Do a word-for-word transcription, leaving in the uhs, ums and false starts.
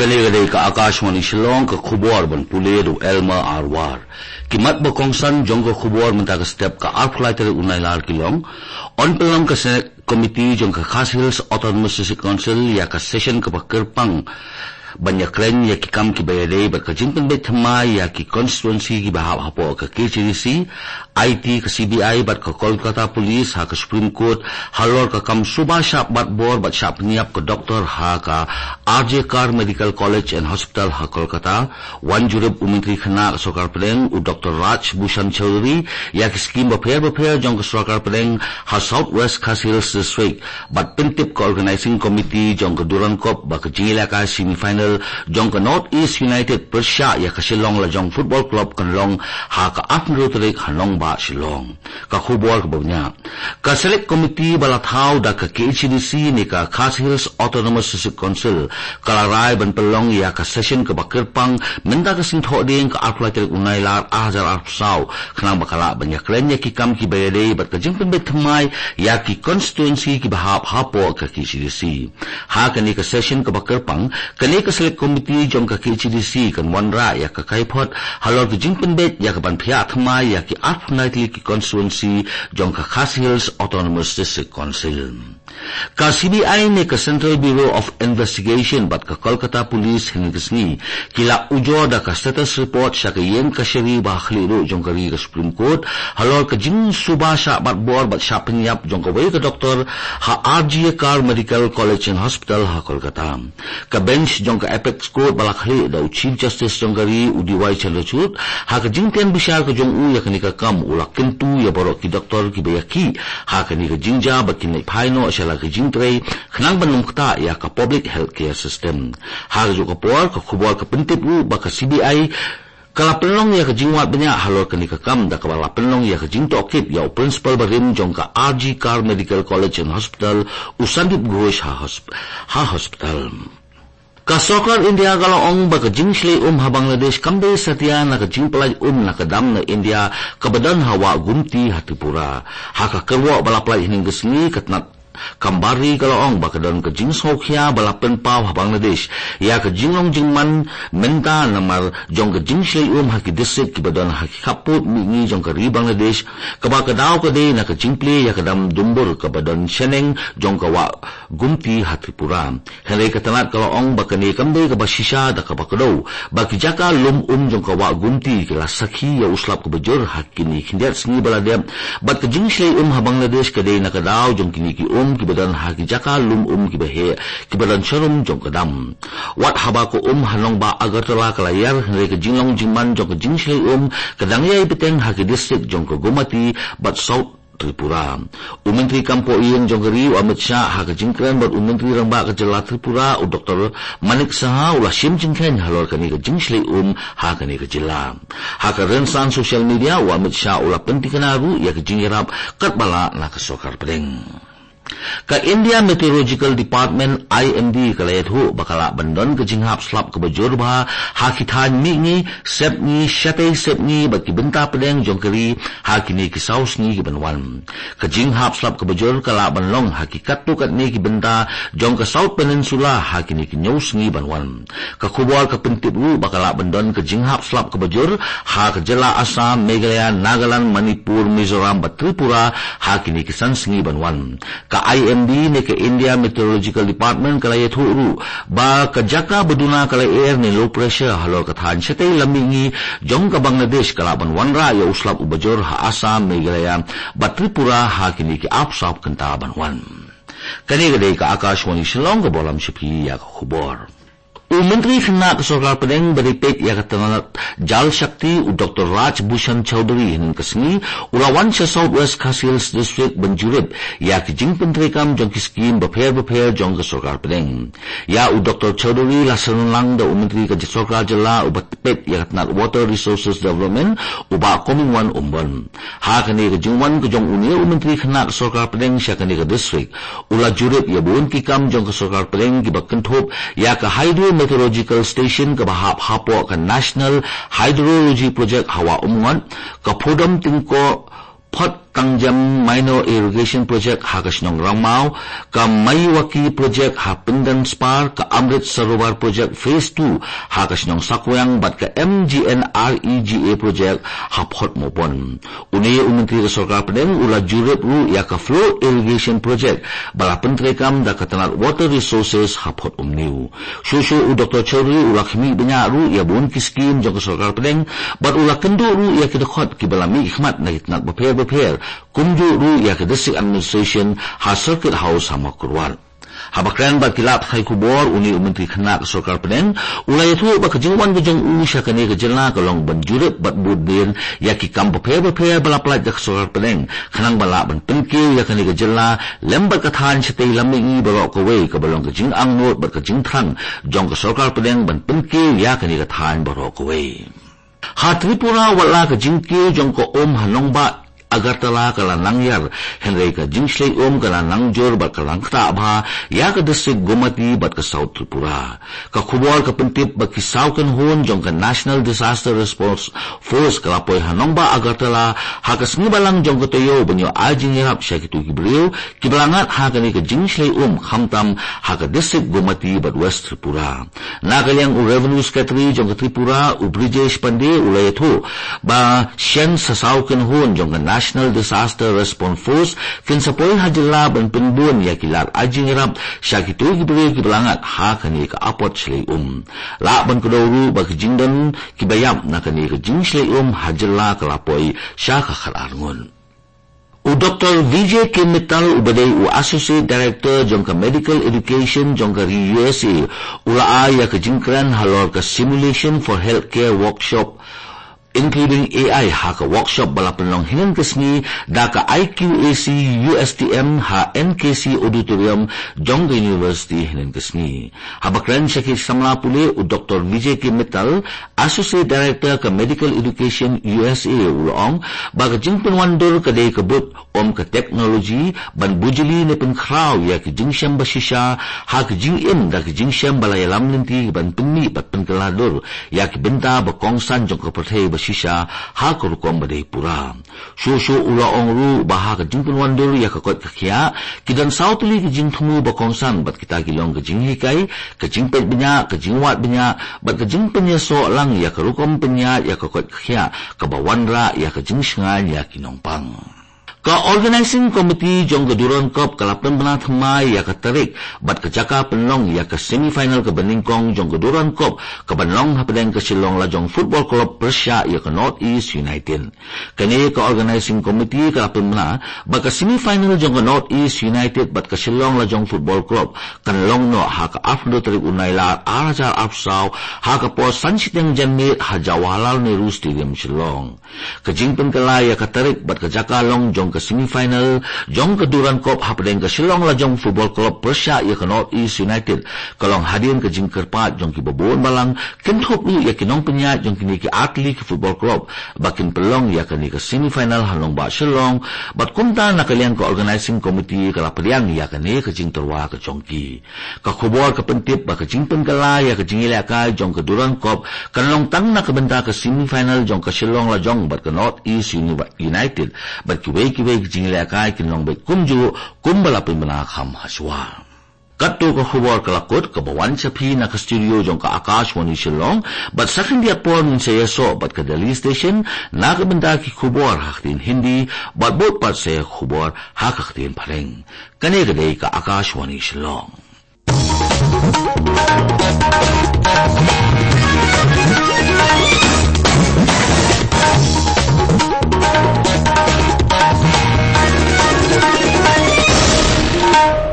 Kane ka dei ka Akashvani Shillong, ka khubor ban pule da u Elmer Arwar. Ki mat ba kongsan jong ka khubor mynta ka step, ka arphew lai tarik u Nailar, ki long: Yn pynlong ka Select Committee jong ka Khasi Hills Autonomous District Council ïa ka session kaba kyrpang ban ïakren ïa ki kam kiba ïadei bad ka jingpynbeit thymmai ïa ki constituency kiba hap hapoh ka K H A D C. Aiti ka C B I bad ka Kolkata Police ha ka Supreme Court halor ka kam suba shah bat bor bad shah pynïap ka doktor ha ka R J Kar Medical College and Hospital ha Kolkata. Wan jurip u Myntri Khynnah ka Sorkar Pdeng, u Doctor Raj Bhushan Chaudhary, ïa ki skim bapher bapher jong ka Sorkar Pdeng ha South West Khasi Hills District, bad pyntip ka Organizing Committee jong ka Durand Cup ba ka jingïalehkai semi final jong ka North East United pyrshah ïa ka Shillong Lajong Football Club kan long ha ka arphew tarik ha nongbah Shillong. Ka khubor kaba bniah. Ka Select Committee ba la thaw da ka K H A D C ne ka Khasi Hills Autonomous District Council ka la rai ban pynlong ïa ka session kaba kyrpang mynta ka Sngi Thohdieng, ka arphew lai tarik u Nailar ar hajar arphew saw, khnang ba ka lah ban ïakren ïa ki kam kiba ïadei bad ka jingpynbeit thymmai ïa ki constituency kiba hap hapoh ka K H A D C. Ha kane ka session kaba kyrpang, kane ka Select Committee jong ka K H A D C kan wanrah ïa ka kaiphod halor ka jingpynbeit ïa ka ban phiah thymmai ïa ki arphew lai tylli ki constituency jong ka Khasi Hills Autonomous District Council. Ka C B I ne ka Central Bureau of Investigation bad ka Kolkata Police hynne ka sngi ki la ujor da ka status report sha ka ïing kashari ba ha khlieh ruh jong ka ri, ka Supreme Court, halor ka jingsuba shah bat bor bad shah pynïap jong kawei ka doktor ha R J Kar Medical College and Hospital ha Kolkata. Ka bench jong ka Apex Court ba la khlieh da u Chief Justice jong ka ri, u D Y Chandrachud, ha ka jingpynbishar ka jong u ïa kane ka kam, u la kyntu ïa baroh ki doktor kiba ïakhih ha kane ka jingjia ba kin leit phai noh sha la ka jingtrei khnang ban ym ktah ïa ka public healthcare system. Ha kajuh ka por, ka khubor ka pyntip ruh ba ka C B I ka la pynlong ïa ka jingwad bniah halor kane ka kam da kaba la pynlong ïa ka jingtohkit ïa u principal barim jong ka R J Kar Medical College and Hospital, u Sandeep Ghosh, ha hosp-, ha hospital. Ka Sorkar India ka la ong ba ka jingshlei um ha Bangladesh kam dei satia na ka jingpyllait um na ka dam na India kaba don ha Wah Gumti ha Tripura. Ha ka kyrwoh ba la pyllait hynne ka sngi, ka tnat kam bar ri ka la ong ba ka don ka jingsngewkhia ba la pynpaw ha Bangladesh ïa ka jinglong jingman mynta namar jong ka jingshlei um ha ki district kiba don ha ki khappud mihngi jong ka ri Bangladesh, kaba ka daw ka dei na ka jingplie ïa ka dam dumbur kaba don shaneng jong ka Wah Gumti ha Tripura. Hynrei ka tnat ka la ong ba kane kam dei kaba shisha da kaba kdew ba ki jaka lum um jong ka Wah Gumti ki la sakhi ïa u slap kaba jur ha kine khyndiat sngi ba la dep, bad ka jingshlei um ha Bangladesh ka dei na ka daw jong kine ki um kiba don ha ki jaka lum um kiba heh kiba don sharum jong ka dam. Wat haba ka um ha nongbah Agartala ka la ïar, hynrei ka jinglong jingman jong ka jingshlei um ka dang ïai bteng ha ki district jong ka Gomati bad South Tripura. U Myntri Kam Poh Ïing jong ka ri, u Amit Shah, ha ka jingkren bad u Myntri Rangbah ka jylla Tripura, u Doctor Manik Saha, u la shim jingkheiñ halor kane ka jingshlei um ha kane ka jylla. Ha ka rynsan social media, u Amit Shah u la pyntikna ruh ïa ka jingïarap katba lah na ka Sorkar Pdeng. Ka India Meteorological Department, I M D, ka la ïathuh ba ka lah ban don ka jinghap slap kaba jur bha ha ki thaiñ mihngi, sepngi, shatei sepngi bad ki bynta pdeng jong ka ri ha kine ki saw sngi ki ban wan. Ka jinghap slap kaba jur ka lah ban long ha ki katto katne ki bynta jong ka South Peninsula ha kine ki hynñiew sngi ban wan. Ka khubor ka pyntip ruh ba ka lah ban don ka jinghap slap kaba jur ha ka jylla Assam, Meghalaya, Nagaland, Manipur, Mizoram bad Tripura ha kine ki san sngi ban wan. Ka I M D ne ka India Meteorological Department ka la ïathuh ruh ba ka jaka ba duna ka lyer ne low pressure halor ka thaiñ shatei lam mihngi jong ka Bangladesh ka lah ban wanrah ïa u slap uba jur ha Assam, Meghalaya bad Tripura ha kine ki arphew saw kynta ban wan. Kane ka dei ka Akashvani Shillong, kaba lam sha phi ïa ka khubor. U Myntri Khynnah ka Sorkar Pdeng ba dei peit ïa ka tnat Jal Shakti, u Doctor Raj Bhushan Chaudhary, hynne ka sngi u la wan sha South West Khasi Hills District ban jurip ïa ki jingpyntreikam jong ki skim bapher bapher jong ka Sorkar Pdeng. Ïa u Doctor Chaudhary la synran lang da u Myntri ka Sorkar Jylla uba peit ïa ka tnat Water Resources Development, u Bah Comingone Ymbon. Ha kane ka jingwan ka jong une u Myntri Khynnah ka Sorkar Pdeng sha kane ka district, u la jurip ïa bun ki kam jong ka Sorkar Pdeng kiba kynthup ïa ka Hydro Hydrological Station kaba hap hapoh ka National Hydrology Project ha Wah Umngot, ka Phodom Tyngkoh Phot Tangjem Minor Irrigation Project ha ka shnong Rangmaw, ka Maiwaki Project ha Pyndenspar, ka Amrit Sarovar Project Phase two ha ka shnong Sakwang, bad ka M G N R E G A Project ha Phot Mopon. Une u Myntri ka Sorkar Pdeng u la jurip ruh ïa ka Flow Irrigation Project ba la pyntreikam da ka tnat Water Resources ha Phot Umnew. Shuh shuh u Doktor Chowdhury u la khmih bniah ruh ïa bun ki skim jong ka Sorkar Pdeng, bad u la kynduh ruh ïa ki dkhot kiba la mihkhmat na ki tnat bapher bapher, kumjuh ruh ïa ka District Administration ha Circuit House ha Mawkyrwat. Haba kren bad ki lad pathai khubor, une u Myntri Khynnah ka Sorkar Pdeng u la ïathuh ba ka jingwan ka jong u sha kane ka jylla ka long ban jurip bad bud dien ïa ki kam bapher bapher ba la pynlait da ka Sorkar Pdeng, khnang ba lah ban pynkiew ïa kane ka jylla lem bad ka thaiñ shatei lam mihngi baroh kawei, kaba long ka jingangnud bad ka jingthrang jong ka Sorkar Pdeng ban pynkiew ïa kane ka thaiñ baroh kawei. Ha Tripura, wat la ka jingkiew jong ka um ha nongbah Agartala ka la nang ïar, hynrei ka jingshlei um ka la nang jur bad ka la nang ktah bha ïa ka district Gomati bad ka South Tripura. Ka khubor ka pyntip ba ki saw kynhun jong ka National Disaster Response Force ka la poi ha nongbah Agartala ha ka sngi Balang jong ka taïew ban ïoh ai jingïarap sha kito ki briew kiba la ngat ha kane ka jingshlei um, khamtam ha ka district Gomati bad West Tripura. Na ka liang u Revenue Secretary jong ka Tripura, u Brijesh Pandey, u la ïathuh ba shen sa saw kynhun jong ka National Disaster Response Force kin sa poi ha jylla ban pynbun ïa ki lad ai jingïarap sha kito ki briew kiba la ngat ha kane ka apot shlei um. Lah ban kdew ruh ba ki jingdon kiba ïap na kane ka jingshlei um ha jylla ka la poi sha ka khatar ngut. U Doktor Vijay K Mittal, uba dei u Associate Director jong ka Medical Education jong ka ri U S A, u la ai ïa ka jingkren halor ka Simulation for Healthcare Workshop, including A I, ha ka workshop ba la pynlong hynnin ka sngi da ka I Q A C U S T M ha N K C Auditorium jong ka University hynnin ka sngi. Haba kren sha ki samla pule, u Doktor Vijay K Mittal, Associate Director ka Medical Education U S A, u la ong ba ka jingpynwandur ka dei ka bud ym ka technology ban bujli ne pynkhraw ïa ki jingshem ba shisha ha ki jingim da ki jingshem ba la ïalam lynti ban pynmih bad pynkylla dur ïa ki bynta ba kongsan jong ka pyrthei ba shisha ha ka rukom ba dei pura. Shuh shuh u la ong ruh ba ha ka jingpynwandur ïa ka koit ka khiah, ki don saw tylli ki jingthmu ba kongsan, bad kita ki long ka jinghikai, ka jingpeit bniah, ka jingwad bniah, bad ka jingpynïasoh lang ïa ka rukom pynïaid ïa ka koit ka khiah kaba wanrah ïa ka jingshngaiñ ïa ki nongpang. Ka Organizing Committee jong ka Durand Cup ka la pynbna thymmai ïa ka tarik bad ka jaka pynlong ïa ka semi final kaba nyngkong jong ka Durand Cup, kaban long hapdeng ka Shillong Lajong Football Club pyrshah ïa ka North East United. Kane ka Organizing Committee ka la pynbna ba ka semi final jong ka North East United bad ka Shillong Lajong Football Club kan long noh ha ka arphew tarik u Nailar ar hajar arphew saw, ha ka por san shiteng janmiet ha Jawaharlal Nehru Stadium, Shillong. Ka jingpynkylla ïa ka tarik bad ka jaka long jong ka semi final jong ka Durand Cup hapdeng ka Shillong Lajong Football Club pyrshah ïa ka North East United ka long hadien ka jingkyrpad jong kiba bun balang, kynthup ruh ïa ki nongpynïaid jong kine ki artylli ki football club ba kin pynlong ïa kane ka semi final ha nongbah Shillong, bad kumta na ka liang ka Organizing Committee ka la pdiang ïa kane ka jingtyrwa ka jong ki. Ka khubor ka pyntip ba ka jingpynkylla ïa ka jingïalehkai jong ka Durand Cup kan long tang na ka bynta ka semi final jong ka Shillong Lajong bad ka North East Uni-, United, bad kiwei kiwei ki jingïalehkai kin long beit kumjuh kumba la pynbna kham hashwa. Katto ka khubor ka la kut, kaba wan sha phi na ka studio jong ka Akashvani Shillong, bad sa khyndiat por ngin sa ïasoh bad ka Delhi Station na ka bynta ki khubor ha ka ktien Hindi, bad bud pat sa ïa ka khubor ha ka ktien Phareng. Kane ka dei ka Akashvani Shillong.